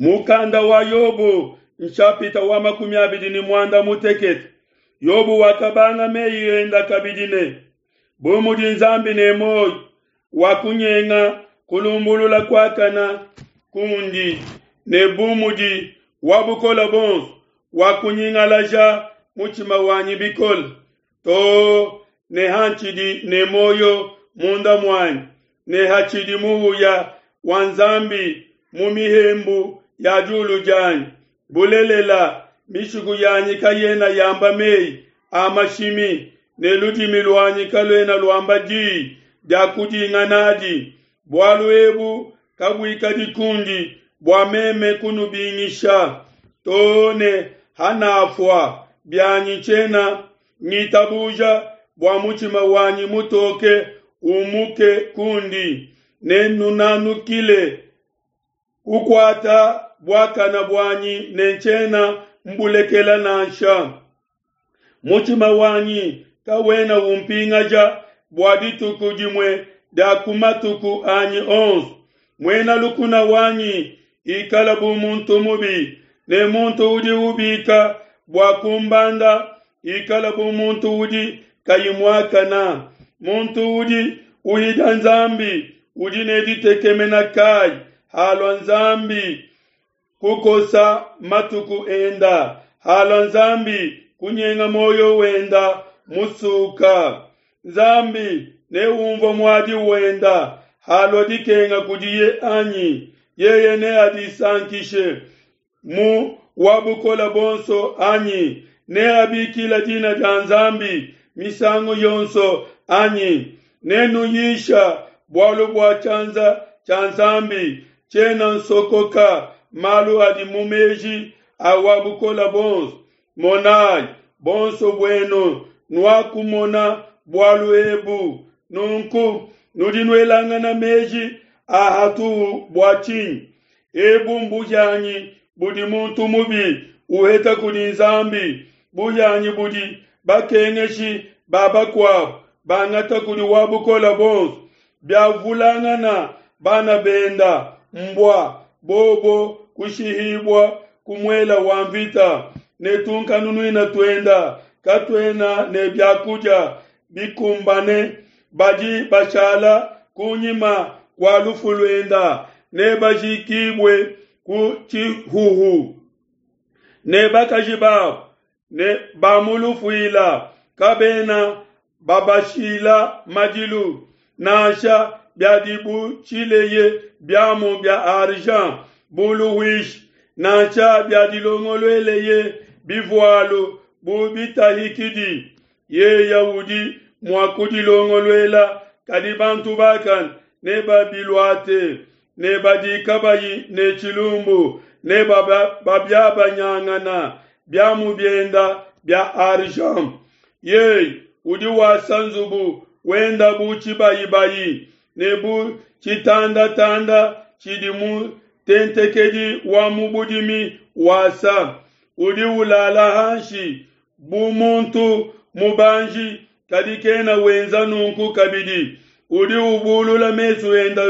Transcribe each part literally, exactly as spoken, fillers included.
Mukanda wa Yobo nshapita wa makumi abidi ne muanda mutekete. Yobo wakabanga meyi enda kabidi ne, bu mudi Nzambi ne muoyo, wakunyenga kulumbulula kuakana kundi, ne bu mudi wa bukole buonso wakunyingalaja mutshima wanyi bikole, too ne hantshidi ne muoyo munda muanyi, ne hatshidi muhuya wa Nzambi mu mihembu ya diulu dianyi. Bulelela, mishiku yanyi kayena yamba meyi a mashimi, ne ludimi luanyi kaluena luamba diyi dia kudinga nadi. Bualu ebu kabuikadi kundi bua meme kunubingisha, too ne hanafua bianyi tshiena ngitabuja bua mutshima wanyi mutoke umuke kundi, ne nunanukile kukuata buakana buanyi ne tshiena mbulekela nansha. Mutshima wanyi kawena umpingaja bua dituku dimue dia ku matuku anyi onso. Muena lukuna wanyi ikala bu muntu mubi, ne muntu udi ubika bua kumbanda ikala bu muntu udi kayi muakana. Muntu udi uhidia Nzambi udi ne ditekemena kayi halua Nzambi kukosa matuku enda, halua Nzambi kunyenga moyo wenda musuka. Nzambi neumvue muadi wenda halua dikenga kudiye anyi? Yeye neadisankishe mu wa bukole buonso anyi? Neabikila dina dia Nzambi misangu yonso anyi? Nenuyisha bualu bua tshianza tshia Nzambi, tshiena nsokoka malu adi mu meji a wa bukole buonso. Monai, bonso buenu nuakumona bualu ebu, nunku nudi nuelangana meji a hatuhu bua tshinyi? Ebu mbuhianyi budi muntu mubi uheta kudi Nzambi, buhianyi budi bakengeshi ba bakuabo bangata kudi wa bukole buonso. Biavulangana bana benda mbua bobo kushihibua ku muela wa mvita, ne tunkanunuina tuenda katuena ne biakudia bikumbane. Badi bashala kunyima kua lufu luenda ne bajikibue ku tshihuhu, ne bakaji babo ne bamulufuila kabena babashila madilu, nansha biadibutshileye biamu bia argent bu luhuishi, nansha biadilongolueleye bivualu bu bitahikidi. Yeye udi mua kudilongoluela, kadi bantu bakane nebabiluate, ne badi kabayi ne tshilumbu ne babiabanyangana biamu bienda bia argent. Yeye udi wasa nzubu wenda bu tshibayibayi, ne bu tshitandatanda tshidi mutentekedi wa mu budimi wasa. Udi ulala hanshi bu muntu mubanji, kadi kena wenza nunku kabidi. Udi ubulula mesu enda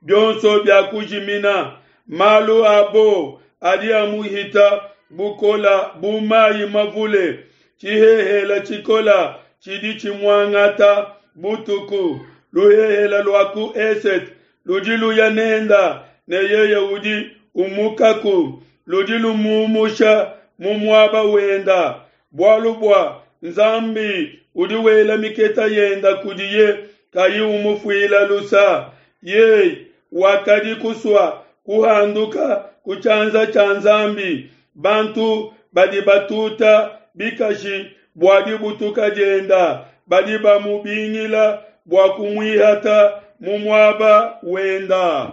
bionso bia kujimina. Malu abo adi amuhita bukola bu mayi mavule. Tshihehela tshikola tshidi tshimuangata butuku. Luhehela lua ku esete ludi luya nenda, ne yeye udi umukaku, ludi lumumusha mu muaba wenda. Bualu bua Nzambi udi wela miketa yenda kudiye kayi umufuila lusa. Yeye wakadi kusua kuhanduka ku tshianza tshia Nzambi. Bantu badi batuta bikashi bua dibutuka dienda, badi bamubingila bua kumuihata mu muaba wenda.